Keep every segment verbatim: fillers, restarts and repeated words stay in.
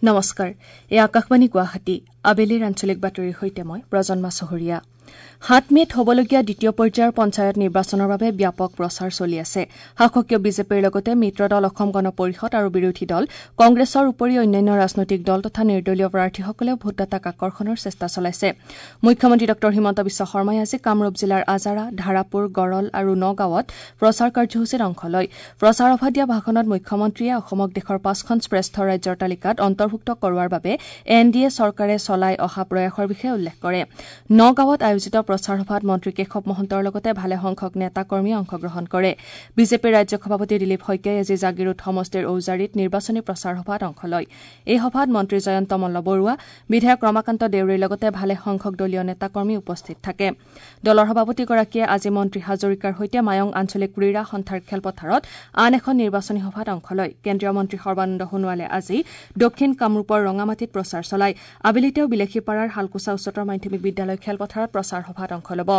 নমস্কাৰ, এই আকাশবাণী গুৱাহাটী। আবেলিৰ আঞ্চলিক বাতৰিৰ সৈতে মই প্ৰজন্মা চহৰীয়া। সাত মে'ত হ'বলগীয়া দ্বিতীয় পৰ্যায়ৰ পঞ্চায়ত নিৰ্বাচনৰ বাবে ব্যাপক প্ৰচাৰ চলি আছে। শাসকীয় বিজেপিৰ লগতে মিত্ৰ দল অসম গণ পৰিষদ আৰু বিৰোধী দল কংগ্ৰেছৰ উপৰি অন্যান্য ৰাজনৈতিক দল তথা নিৰ্দলীয় প্ৰাৰ্থীসকলেও ভোটদাতাক আকৰ্ষণৰ চেষ্টা চলাইছে। মুখ্যমন্ত্ৰী ডঃ হিমন্ত বিশ্ব শৰ্মাই আজি কামৰূপ জিলাৰ আজাৰা, ধাৰাপুৰ, গড়ল আৰু নগাঁৱত প্ৰচাৰ কাৰ্যসূচীত অংশ লয়। প্ৰচাৰ সভাত দিয়া ভাষণত মুখ্যমন্ত্ৰীয়ে অসমক দেশৰ পাঁচখন শ্ৰেষ্ঠ ৰাজ্যৰ তালিকাত অন্তৰ্ভুক্ত কৰোৱাৰ বাবে এন ডি এ চৰকাৰে চলাই অহা প্ৰয়াসৰ বিষয়ে উল্লেখ কৰে। নগাঁৱত আয়োজিত প্ৰচাৰ সভাত মন্ত্ৰী কেশৱ মহন্তৰ লগতে ভালেসংখ্যক নেতা-কৰ্মীয়ে অংশগ্ৰহণ কৰে। বিজেপিৰ ৰাজ্যিক সভাপতি দিলীপ শইকীয়াই আজি জাগীৰোড সমষ্টিৰ ঔজাৰীত নিৰ্বাচনী প্ৰচাৰ সভাত অংশ লয়। এই সভাত মন্ত্ৰী জয়ন্ত মল্ল বৰুৱা, বিধায়ক ৰমাকান্ত দেউৰীৰ লগতে ভালেসংখ্যক দলীয় নেতা-কৰ্মী উপস্থিত থাকে। দলৰ সভাপতিগৰাকীয়ে আজি মন্ত্ৰী হাজৰিকাৰ সৈতে মায়ং আঞ্চলিক ক্ৰীড়া সন্থাৰ খেলপথাৰত আন এখন নিৰ্বাচনী সভাত অংশ লয়। কেন্দ্ৰীয় মন্ত্ৰী সৰ্বানন্দ সোণোৱালে আজি দক্ষিণ কামৰূপৰ ৰঙামাটিত প্ৰচাৰ চলায়। আবেলি তেওঁ বিলাসীপাৰাৰ শালকোচা উচ্চতৰ মাধ্যমিক বিদ্যালয় খেলপথাৰত প্ৰচাৰ সভাত অংশ ল'ব।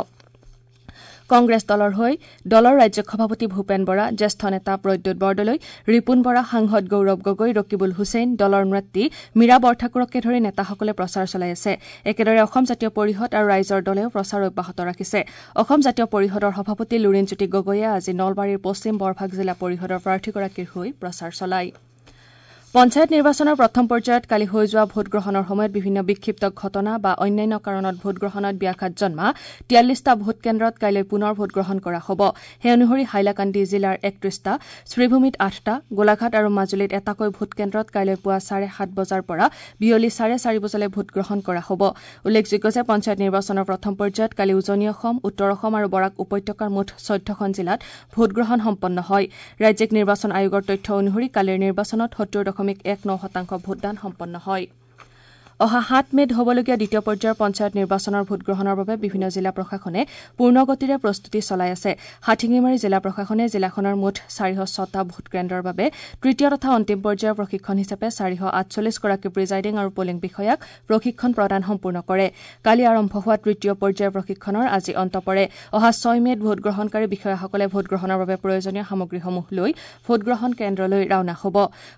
কংগ্ৰেছ দলৰ হৈ দলৰ ৰাজ্যিক সভাপতি ভূপেন বৰা, জ্যেষ্ঠ নেতা প্ৰদ্যুৎ বৰদলৈ, ৰিপুণ বৰা, সাংসদ গৌৰৱ গগৈ, ৰকিবুল হুছেইন, দলৰ নেত্ৰী মীৰা বৰঠাকুৰকে ধৰি নেতাসকলে প্ৰচাৰ চলাই আছে। একেদৰে অসম জাতীয় পৰিষদ আৰু ৰাইজৰ দলেও প্ৰচাৰ অব্যাহত ৰাখিছে। অসম জাতীয় পৰিষদৰ সভাপতি লুৰীণজ্যোতি গগৈয়ে আজি নলবাৰীৰ পশ্চিম বৰভাগ জিলা পৰিষদৰ প্ৰাৰ্থীগৰাকীৰ হৈ প্ৰচাৰ চলায়। পঞ্চায়ত নিৰ্বাচনৰ প্ৰথম পৰ্যায়ত কালি হৈ যোৱা ভোটগ্ৰহণৰ সময়ত বিভিন্ন বিক্ষিপ্ত ঘটনা বা অন্যান্য কাৰণত ভোটগ্ৰহণত ব্যাঘাত জন্মা তিয়াল্লিছটা ভোটকেন্দ্ৰত কাইলৈ পুনৰ ভোটগ্ৰহণ কৰা হ'ব। সেই অনুসৰি হাইলাকান্দি জিলাৰ একত্ৰিছটা, শ্ৰীভূমিত আঠটা, গোলাঘাট আৰু মাজুলীত এটাকৈ ভোটকেন্দ্ৰত কাইলৈ পুৱা চাৰে সাত বজাৰ পৰা বিয়লি চাৰে চাৰি বজালৈ ভোটগ্ৰহণ কৰা হ'ব। উল্লেখযোগ্য যে পঞ্চায়ত নিৰ্বাচনৰ প্ৰথম পৰ্যায়ত কালি উজনি অসম, উত্তৰ অসম আৰু বৰাক উপত্যকাৰ মুঠ চৈধ্যখন জিলাত ভোটগ্ৰহণ সম্পন্ন হয়। ৰাজ্যিক নিৰ্বাচন আয়োগৰ তথ্য অনুসৰি কালিৰ নিৰ্বাচনত সত্তৰ দশমিক এক ন শতাংশ ভোটদান সম্পন্ন হয়। অহা সাত মে'ত হ'বলগীয়া দ্বিতীয় পৰ্যায়ৰ পঞ্চায়ত নিৰ্বাচনৰ ভোটগ্ৰহণৰ বাবে বিভিন্ন জিলা প্ৰশাসনে পূৰ্ণগতিৰে প্ৰস্তুতি চলাই আছে। হাটশিঙিমাৰী জিলা প্ৰশাসনে জিলাখনৰ মুঠ চাৰিশ ছটা ভোটকেন্দ্ৰৰ বাবে তৃতীয় তথা অন্তিম পৰ্যায়ৰ প্ৰশিক্ষণ হিচাপে চাৰিশ আঠচল্লিছগৰাকী প্ৰিজাইডিং আৰু পলিং বিষয়াক প্ৰশিক্ষণ প্ৰদান সম্পূৰ্ণ কৰে। কালি আৰম্ভ হোৱা তৃতীয় পৰ্যায়ৰ প্ৰশিক্ষণৰ আজি অন্ত পৰে। অহা ছয় মে'ত ভোটগ্ৰহণকাৰী বিষয়াসকলে ভোটগ্ৰহণৰ বাবে প্ৰয়োজনীয় সামগ্ৰীসমূহ লৈ ভোটগ্ৰহণ কেন্দ্ৰলৈ ৰাওনা হ'ব।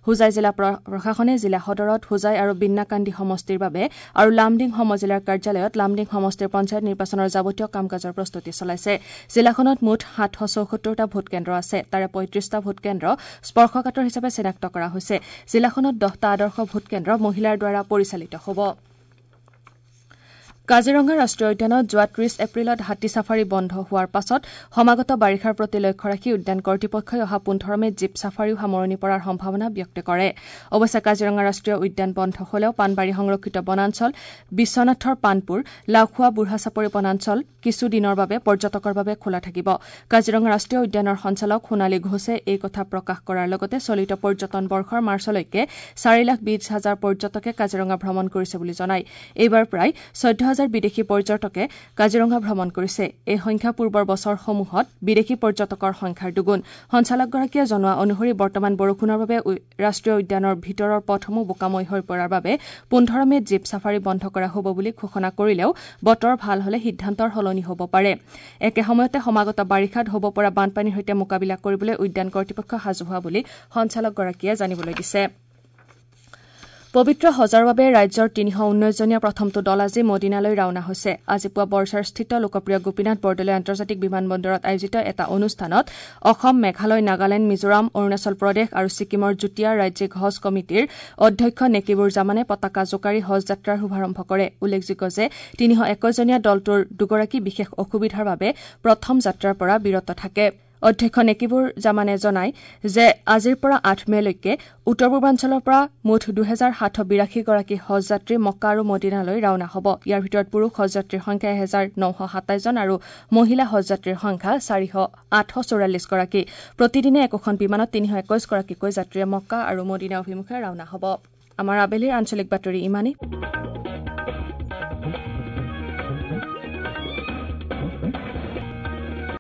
হোজাই জিলা প্ৰশাসনে জিলা সদৰত হোজাই আৰু বিন্নাকান্দি সমষ্টিৰ বাবে আৰু লামডিং সমজিলাৰ কাৰ্যালয়ত লামডিং সমষ্টিৰ পঞ্চায়ত নিৰ্বাচনৰ যাৱতীয় কাম-কাজৰ প্ৰস্তুতি চলাইছে। জিলাখনত মুঠ সাতশ চৌসত্তৰটা ভোটকেন্দ্ৰ আছে। তাৰে পঁয়ত্ৰিছটা ভোটকেন্দ্ৰ স্পৰ্শকাতৰ হিচাপে চিনাক্ত কৰা হৈছে। জিলাখনত দহটা আদৰ্শ ভোটকেন্দ্ৰ মহিলাৰ দ্বাৰা পৰিচালিত হ'ব। কাজিৰঙা ৰাষ্ট্ৰীয় উদ্যানত যোৱা ত্ৰিশ এপ্ৰিলত হাতী ছাফাৰী বন্ধ হোৱাৰ পাছত সমাগত বাৰিষাৰ প্ৰতি লক্ষ্য ৰাখি উদ্যান কৰ্তৃপক্ষই অহা পোন্ধৰ মে'ত জীপ ছাফাৰীও সামৰণি পৰাৰ সম্ভাৱনা ব্যক্ত কৰে। অৱশ্যে কাজিৰঙা ৰাষ্ট্ৰীয় উদ্যান বন্ধ হলেও পাণবাৰী সংৰক্ষিত বনাঞ্চল, বিশ্বনাথৰ পাণপুৰ, লাওখোৱা বুঢ়াচাপৰি বনাঞ্চল কিছু দিনৰ বাবে পৰ্যটকৰ বাবে খোলা থাকিব। কাজিৰঙা ৰাষ্ট্ৰীয় উদ্যানৰ সঞ্চালক সোণালী ঘোষে এই কথা প্ৰকাশ কৰাৰ লগতে চলিত পৰ্যটন বৰ্ষৰ মাৰ্চলৈকে চাৰি লাখ বিশ হাজাৰ পৰ্যটকে কাজিৰঙা ভ্ৰমণ কৰিছে বুলি জনায়। এইবাৰ প্ৰায় চৈধ্য হাজাৰ বিদেশী পৰ্যটকে কাজিৰঙা ভ্ৰমণ কৰিছে। এই সংখ্যা পূৰ্বৰ বছৰসমূহত বিদেশী পৰ্যটকৰ সংখ্যাৰ দুগুণ। সঞ্চালকগৰাকীয়ে জনোৱা অনুসৰি বৰ্তমান বৰষুণৰ বাবে ৰাষ্ট্ৰীয় উদ্যানৰ ভিতৰৰ পথসমূহ বোকাময় হৈ পৰাৰ বাবে পোন্ধৰ মে'ত জীপ ছাফাৰী বন্ধ কৰা হ'ব বুলি ঘোষণা কৰিলেও বতৰ ভাল হলে সিদ্ধান্তৰ সলনি হ'ব পাৰে। একে সময়তে সমাগত বাৰিষাত হ'ব পৰা বানপানীৰ সৈতে মোকাবিলা কৰিবলৈ উদ্যান কৰ্তৃপক্ষ সাজু হোৱা বুলি সঞ্চালকগৰাকীয়ে জানিবলৈ দিছে। পবিত্ৰ হজৰ বাবে ৰাজ্যৰ তিনিশ ঊনৈছজনীয়া প্ৰথমটো দল আজি মদিনালৈ ৰাওনা হৈছে। আজি পুৱা বৰঝাৰস্থিত লোকপ্ৰিয় গোপীনাথ বৰদলৈ আন্তৰ্জাতিক বিমানবন্দৰত আয়োজিত এটা অনুষ্ঠানত অসম, মেঘালয়, নাগালেণ্ড, মিজোৰাম, অৰুণাচল প্ৰদেশ আৰু ছিকিমৰ যুটীয়া ৰাজ্যিক হজ কমিটিৰ অধ্যক্ষ নেকিবুৰ জামানে পতাকা জোকাৰি হজ যাত্ৰাৰ শুভাৰম্ভ কৰে। উল্লেখযোগ্য যে তিনিশ একৈছজনীয়া দলটোৰ দুগৰাকী বিশেষ অসুবিধাৰ বাবে প্ৰথম যাত্ৰাৰ পৰা বিৰত থাকে। অধ্যক্ষ নেকিবুৰ জামানে জনায় যে আজিৰ পৰা আঠ মে'লৈকে উত্তৰ পূৰ্বাঞ্চলৰ পৰা মুঠ দুহেজাৰ সাতশ বিৰাশীগৰাকী হজ যাত্ৰী মক্কা আৰু মদিনালৈ ৰাওনা হ'ব। ইয়াৰ ভিতৰত পুৰুষ হজ যাত্ৰীৰ সংখ্যা এহেজাৰ নশ সাতাইছ জন আৰু মহিলা হজ যাত্ৰীৰ সংখ্যা চাৰিশ আঠশ চৌৰাল্লিছগৰাকী। প্ৰতিদিনে একোখন বিমানত তিনিশ একৈছগৰাকীকৈ যাত্ৰীয়ে মক্কা আৰু মদিনা অভিমুখে ৰাওনা হ'ব। আমাৰ আবেলিৰ আঞ্চলিক বাতৰি ইমানেই।